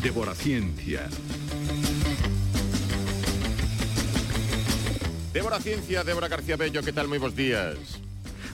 Débora Ciencia. Débora Ciencia, Débora García Bello, que tal? Moi bons días.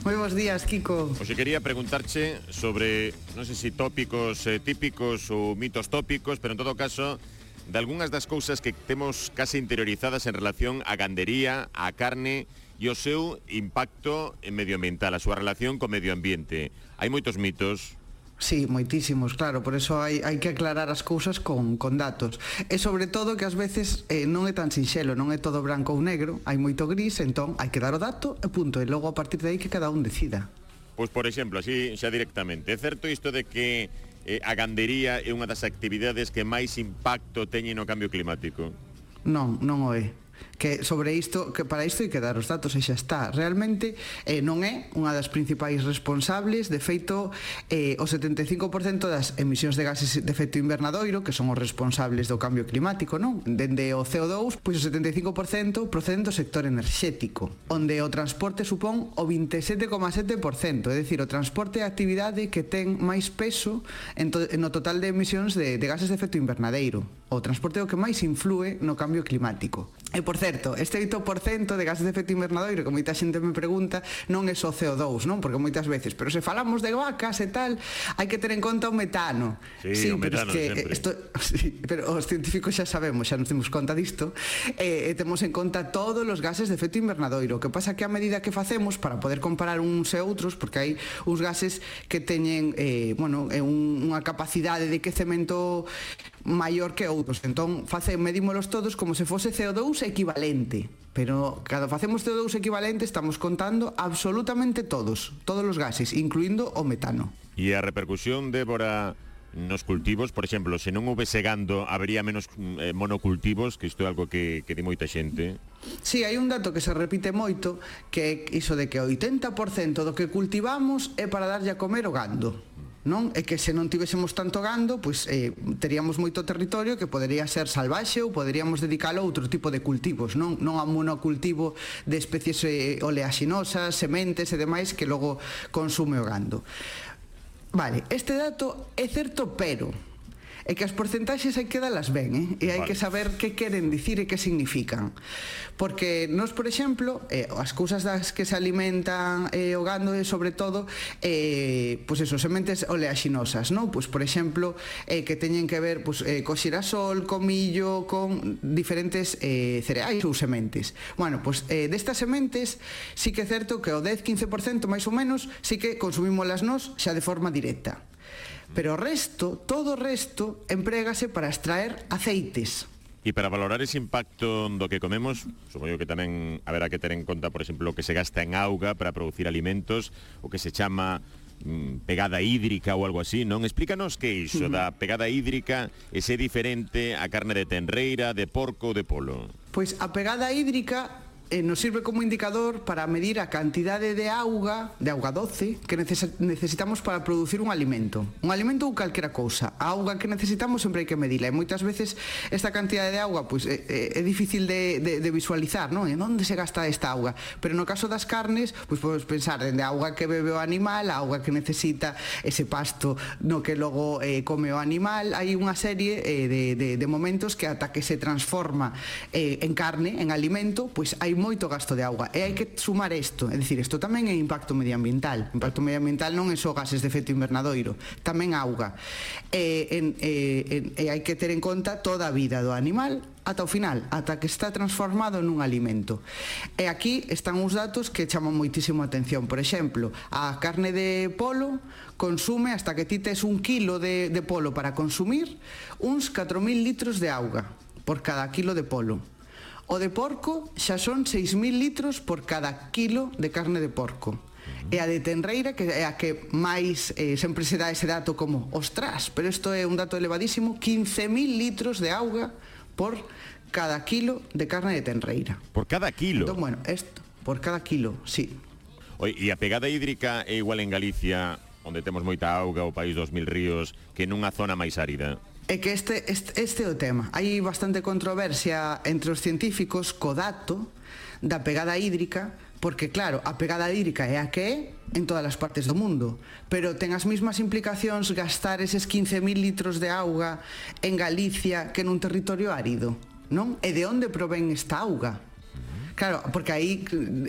Moi bons días, Kiko. Oxe, quería preguntarche sobre, non sei se tópicos típicos ou mitos tópicos, pero en todo caso, de algunhas das cousas que temos case interiorizadas en relación á gandería, á carne e o seu impacto medioambiental, a súa relación co medio ambiente. Hai moitos mitos. Sí, moitísimos, claro, por eso hai que aclarar as cousas con datos. E sobre todo que ás veces non é tan sinxelo, non é todo branco ou negro, hai moito gris, entón hai que dar o dato e punto, e logo a partir de aí que cada un decida. Pois, por exemplo, así xa directamente, é certo isto de que a gandería é unha das actividades que máis impacto teñen no cambio climático? Non o é. Que sobre isto, que para isto hai que dar os datos e xa está. Realmente non é unha das principais responsables. De feito, o 75% das emisións de gases de efecto invernadoiro, que son os responsables do cambio climático, non? Dende o CO2, pois o 75% proceden do sector enerxético, onde o transporte supón o 27,7%, é dicir, o transporte é a actividade que ten máis peso no total de emisións de gases de efecto invernadeiro. O transporte é o que máis influe no cambio climático. E, por certo, este 8% de gases de efecto invernadoiro que moita xente me pregunta non é só CO2, non? Porque moitas veces, pero se falamos de vacas e tal, hai que ter en conta o metano. Sí, o metano sempre. Sí, pero os científicos xa sabemos, xa nos temos conta disto, e temos en conta todos os gases de efecto invernadoiro. O que pasa que a medida que facemos para poder comparar uns e outros, porque hai uns gases que teñen unha capacidade de quecemento maior que outros, entón medímolos todos como se fose CO2 equivalente, pero cando facemos CO2 equivalente estamos contando absolutamente todos os gases, incluindo o metano. E a repercusión, Débora, nos cultivos, por exemplo, se non houvese gando, habería menos monocultivos, que isto é algo que di moita xente. Sí, hai un dato que se repite moito, que é iso de que o 80% do que cultivamos é para darlle a comer o gando, non? É que se non tivésemos tanto gando, pois teríamos moito territorio que podería ser salvaxe ou poderíamos dedicalo a outro tipo de cultivos, non a monocultivo de especies oleaxinosas, sementes e demais que logo consume o gando. Vale, este dato é certo, pero é que as porcentaxes hai que dalas ben, e hai que saber que queren dicir e que significan. Porque nós, por exemplo, as cousas das que se alimentan o gando é sobre todo sementes oleaxinosas, non? Pois, por exemplo, que teñen que ver co xirasol, co millo, con diferentes cereais ou sementes. Bueno, pois destas sementes sí que é certo que o 10-15% máis ou menos sí que consumímolas nós xa de forma directa. Pero o resto, todo o resto, emprégase para extraer aceites. E para valorar ese impacto do que comemos, supoño que tamén haberá que ter en conta, por exemplo, o que se gasta en auga para producir alimentos, o que se chama pegada hídrica ou algo así, non? Explícanos que é iso da pegada hídrica e se é diferente a carne de tenreira, de porco ou de polo. Pois a pegada hídrica nos sirve como indicador para medir a cantidade de auga doce que necesitamos para producir un alimento ou calquera cousa. A auga que necesitamos sempre hai que medila, e moitas veces esta cantidade de auga pois é difícil de visualizar, non? En onde se gasta esta auga? Pero no caso das carnes, pois podemos pensar dende a auga que bebe o animal, a auga que necesita ese pasto no que logo come o animal. Hai unha serie de momentos que ata que se transforma en carne, en alimento, pois hai moito gasto de auga, e hai que sumar isto, é dicir, isto tamén é impacto medioambiental. Impacto medioambiental non é só gases de efecto invernadoiro, tamén auga, e hai que ter en conta toda a vida do animal ata o final, ata que está transformado nun alimento. E aquí están uns datos que chaman moitísimo a atención. Por exemplo, a carne de polo consume, hasta que ti tes 1 kilo de polo para consumir, uns 4.000 litros de auga por cada kilo de polo. O de porco xa son 6.000 litros por cada kilo de carne de porco. E a de tenreira, que é a que máis sempre se dá ese dato como ostras, pero isto é un dato elevadísimo, 15.000 litros de auga por cada kilo de carne de tenreira. Por cada kilo? Entón, bueno, isto, por cada kilo, sí. Oi, e a pegada hídrica é igual en Galicia, onde temos moita auga, o país dos mil ríos, que nunha zona máis árida? É que este é o tema. Hai bastante controversia entre os científicos co dato da pegada hídrica, porque claro, a pegada hídrica é a que é en todas as partes do mundo, pero ten as mesmas implicacións gastar eses 15.000 litros de auga en Galicia que nun territorio árido, non? E de onde provén esta auga? Claro, porque aí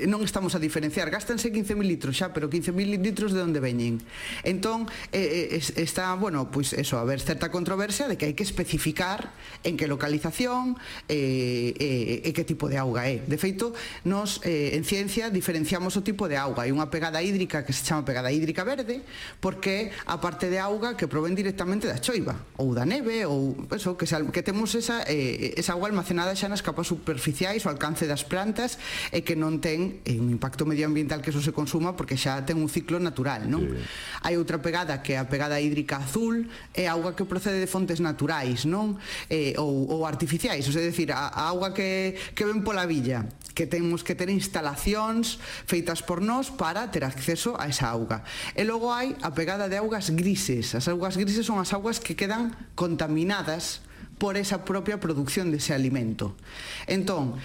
non estamos a diferenciar. Gástanse 15.000 litros xa, pero 15.000 litros de onde veñen. Entón, está, bueno, pois eso, a ver certa controversia de que hai que especificar en que localización e que tipo de auga é. De feito, nos en ciencia diferenciamos o tipo de auga. Hai unha pegada hídrica que se chama pegada hídrica verde, porque a parte de auga que provén directamente da choiva, ou da neve, ou eso, que temos esa auga almacenada xa nas capas superficiais, o alcance das plantas, e que non ten un impacto medioambiental que eso se consuma porque xa ten un ciclo natural, non? Sí. Hai outra pegada que é a pegada hídrica azul, é auga que procede de fontes naturais, non? Ou artificiais, é dicir, a auga que ven pola villa, que temos que ter instalacións feitas por nós para ter acceso a esa auga. E logo hai a pegada de augas grises. As augas grises son as augas que quedan contaminadas por esa propia producción dese alimento. Entón,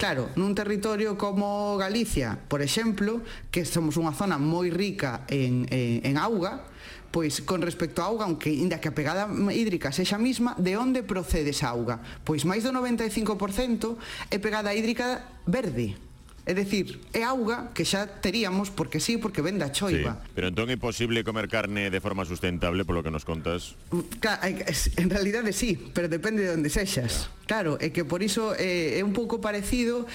claro, nun territorio como Galicia, por exemplo, que somos unha zona moi rica en auga, pois con respecto á auga, aunque inda que a pegada hídrica sexa mesma, de onde procede esa auga? Pois máis do 95% é pegada hídrica verde. É dicir, é auga que xa teríamos porque sí, porque ven da choiva. Sí, pero entón é posible comer carne de forma sustentable, polo que nos contas? En realidade sí, pero depende de onde sexas. Claro, é que por iso é un pouco parecido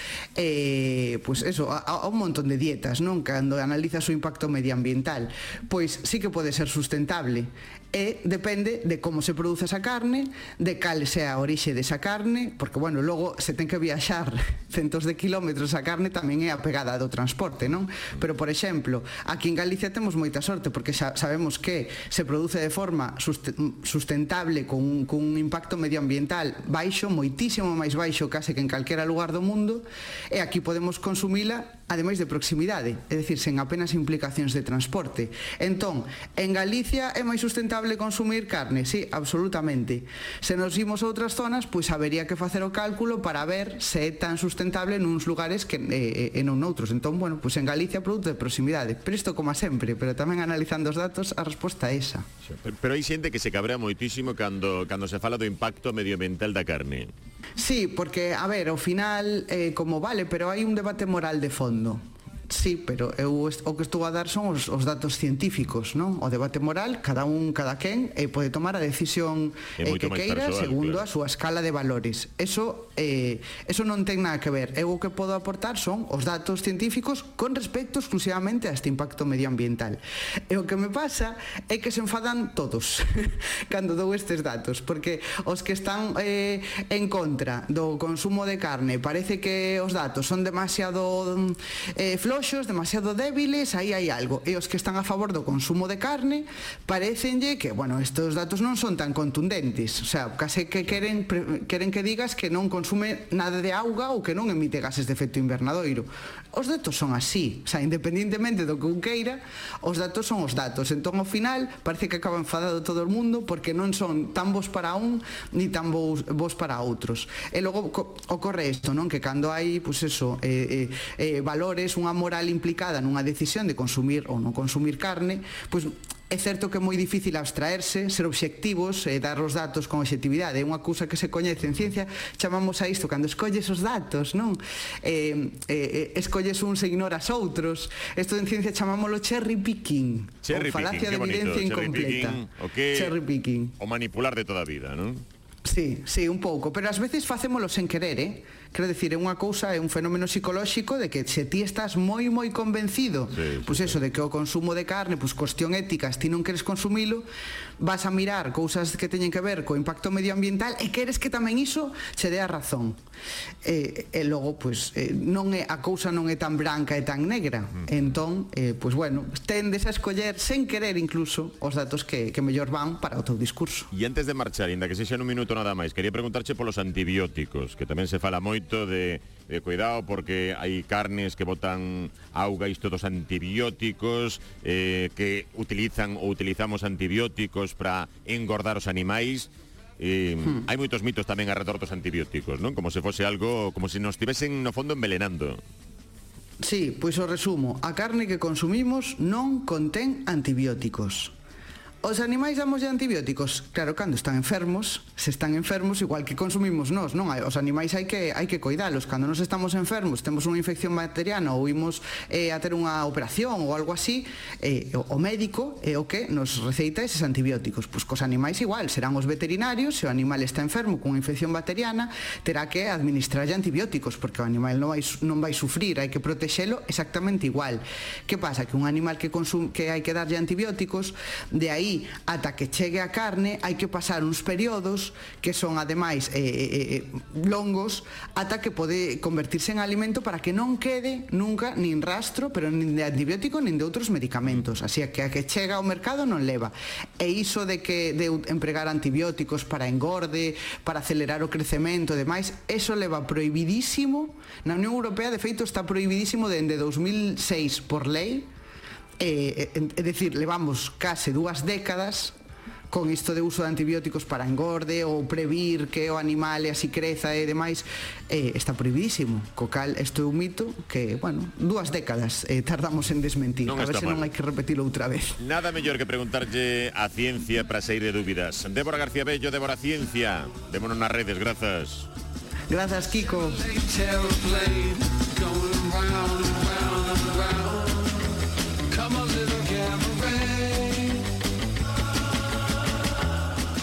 pois eso, a un montón de dietas, non? Cando analizas o impacto medioambiental, pois sí que pode ser sustentable. E depende de como se produce esa carne, de cal sea a orixe desa carne, porque, bueno, logo se ten que viaxar centos de kilómetros a carne tamén é a pegada do transporte, non? Pero, por exemplo, aquí en Galicia temos moita sorte, porque xa sabemos que se produce de forma sustentable cun impacto medioambiental baixo, moitísimo máis baixo case que en calquera lugar do mundo, e aquí podemos consumila ademais de proximidade, é dicir, sen apenas implicacións de transporte. Entón, en Galicia é máis sustentable consumir carne? Sí, absolutamente. Se nos imos a outras zonas, pois habería que facer o cálculo para ver se é tan sustentable nuns lugares que e non noutros. Entón, bueno, pois en Galicia produto de proximidade. Pero isto como a sempre, pero tamén analizando os datos, a resposta é esa. Pero hai xente que se cabrea moitísimo cando se fala do impacto medioambiental da carne. Sí, porque, a ver, ao final, como vale, pero hai un debate moral de fondo. Sí, pero eu o que estou a dar son os datos científicos, non? O debate moral, cada quen pode tomar a decisión que queira segundo a súa escala de valores. Eso non ten nada que ver. Eu o que podo aportar son os datos científicos con respecto exclusivamente a este impacto medioambiental. E o que me pasa é que se enfadan todos cando dou estes datos, porque os que están en contra do consumo de carne parece que os datos son demasiado floxos, demasiado débiles, aí hai algo. E os que están a favor do consumo de carne parecenlle que, bueno, estes datos non son tan contundentes, o sea, case que queren que digas que non consume nada de auga ou que non emite gases de efecto invernadoiro. Os datos son así, o sea, independentemente do que un queira, os datos son os datos. Entón, ao final, parece que acaba enfadado todo o mundo porque non son tan bons para un ni tan bons para outros. E logo ocorre isto, non? Que cando hai, pois eso, valores, unha moral implicada nunha decisión de consumir ou non consumir carne, pois é certo que é moi difícil abstraerse, ser obxectivos e dar os datos con obxectividade. É unha cousa que se coñece en ciencia, chamamos a isto cando escolles os datos, non? Escolles uns e ignoras outros. Isto en ciencia chamámoslo cherry picking, ou falacia de evidencia incompleta. Cherry picking. O manipular de toda a vida, non? Sí, un pouco, pero ás veces facémolo sen querer, Quero dicir, é unha cousa, é un fenómeno psicolóxico de que se ti estás moi convencido, pois eso, de que o consumo de carne, pois cuestión ética, ti non queres consumilo, vas a mirar cousas que teñen que ver co impacto medioambiental e queres que tamén iso che dé a razón. E logo, pois, non é, a cousa non é tan branca e tan negra. Entón, pois bueno, tendes a escoller sen querer incluso os datos que mellor van para o teu discurso. E antes de marchar, inda que sexa nun minuto nada máis, quería preguntarche polos antibióticos, que tamén se fala moito de cuidado porque hai carnes que botan auga, isto dos antibióticos, que utilizan ou utilizamos antibióticos para engordar os animais. Hai moitos mitos tamén alrededor dos antibióticos, non? Como se fose algo, como se nos estivesen no fondo envenenando. Sí, pois o resumo. A carne que consumimos non contén antibióticos. Os animais damos antibióticos? Claro, cando están enfermos, se están enfermos igual que consumimos nós, non? Os animais hai que coidalos. Cando nos estamos enfermos, temos unha infección bacteriana ou imos a ter unha operación ou algo así, o médico é o que nos receita eses antibióticos. Pois cos animais igual, serán os veterinarios, se o animal está enfermo cunha infección bacteriana, terá que administrarlle antibióticos, porque o animal non vai sufrir, hai que protexelo exactamente igual. Que pasa? Que un animal que hai que darlle antibióticos, de aí ata que chegue a carne hai que pasar uns períodos que son ademais longos ata que pode convertirse en alimento para que non quede nunca nin rastro, pero nin de antibiótico nin de outros medicamentos, así que a que chega ao mercado non leva. E iso de empregar antibióticos para engorde, para acelerar o crecemento e demais, eso leva prohibidísimo na Unión Europea, de feito está prohibidísimo dende 2006 por lei. É dicir, levamos case 2 décadas con isto de uso de antibióticos para engorde ou previr que o animal así creza e demais, está prohibidísimo, co cal isto é un mito que, bueno, 2 décadas tardamos en desmentir, a ver se non hai que repetilo outra vez. Nada mellor que preguntarlle a ciencia para sair de dúbidas. Débora García Bello, Débora Ciencia, vémonos nas redes, grazas. Grazas, Kiko.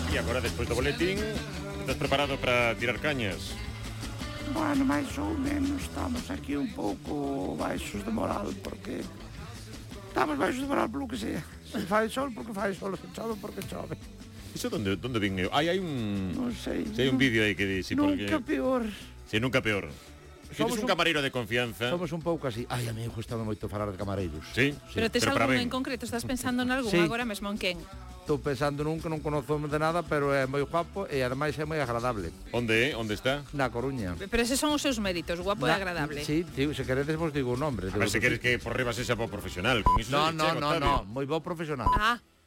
E agora, despois do boletín, estás preparado para tirar cañas? Bueno, máis ou menos estamos aquí un pouco baixos de moral, porque estamos baixos de moral polo que sea. Se fai sol, porque fai sol, se chove, porque chove. Iso donde vin eu? Hai un... Non sei. Hai un vídeo aí que di... Nunca peor. Si, nunca peor. Tienes un camareiro de confianza. Somos un pouco así. Ai, a mí gustame moito falar de camareiros. Sí? Pero tes algún en concreto? Estás pensando en algún agora mesmo en quen? Estou pensando nun que non conozo de nada, pero é moi guapo e ademais é moi agradable. Onde é? Onde está? Na Coruña. Pero eses son os seus méritos, guapo e agradable. Sí, tío, se queredes vos digo o nombre. A ver, se queres que por riba sexa bo profesional. Con iso No, moi bo profesional. Ah.